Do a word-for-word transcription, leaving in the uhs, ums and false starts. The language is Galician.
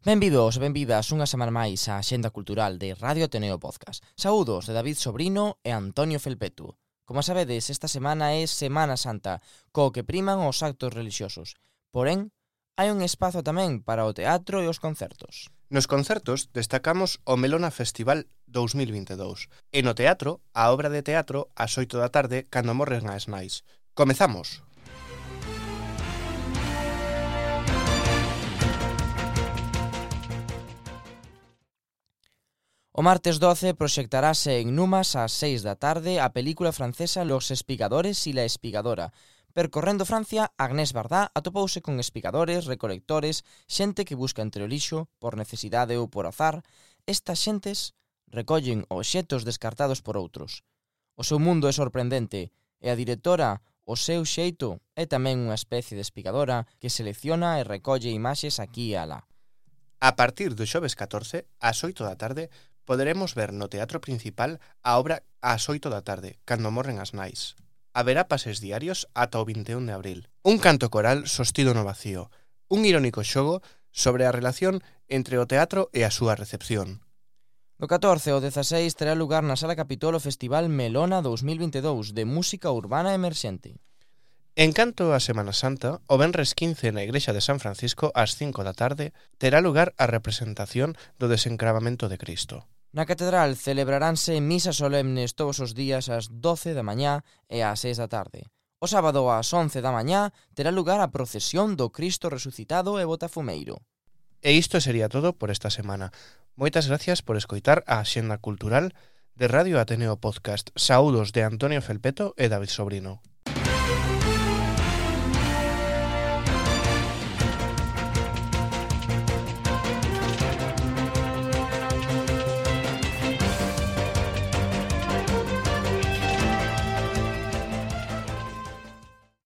Benvidos e benvidas unha semana máis á Axenda Cultural de Radio Ateneo Podcast. Saúdos de David Sobrino e Antonio Felpetu. Como sabedes, esta semana é Semana Santa, co que priman os actos religiosos. Porén, hai un espazo tamén para o teatro e os concertos. Nos concertos destacamos o Melona Festival dous mil vinte e dous e no teatro, a obra de teatro ás oito da tarde cando morren as nais. Comezamos! O martes doce proxectarase en Numas ás seis da tarde a película francesa Los Espigadores y la Espigadora. Percorrendo Francia, Agnès Varda atopouse con espigadores, recolectores, xente que busca entre o lixo, por necesidade ou por azar. Estas xentes recollen obxetos descartados por outros. O seu mundo é sorprendente e a directora, o seu xeito, é tamén unha especie de espigadora que selecciona e recolle imaxes aquí e alá. A partir do xoves catorce, ás oito da tarde, poderemos ver no Teatro Principal a obra ás oito da tarde, cando morren as nais. Haberá pases diarios ata o vinte e un de abril. Un canto coral sostido no vacío. Un irónico xogo sobre a relación entre o teatro e a súa recepción. Do catorce ao dezaseis terá lugar na Sala Capitol o Festival Melona dous mil vinte e dous de música urbana emerxente. En canto a Semana Santa, o venres quince na Igrexa de San Francisco ás cinco da tarde terá lugar a representación do desencravamento de Cristo. Na Catedral celebraránse misas solemnes todos os días ás doce da mañá e ás seis da tarde. O sábado ás once da mañá terá lugar a procesión do Cristo resucitado e botafumeiro. E isto sería todo por esta semana. Moitas gracias por escoitar a Axenda Cultural de Radio Ateneo Podcast. Saúdos de Antonio Felpeto e David Sobrino.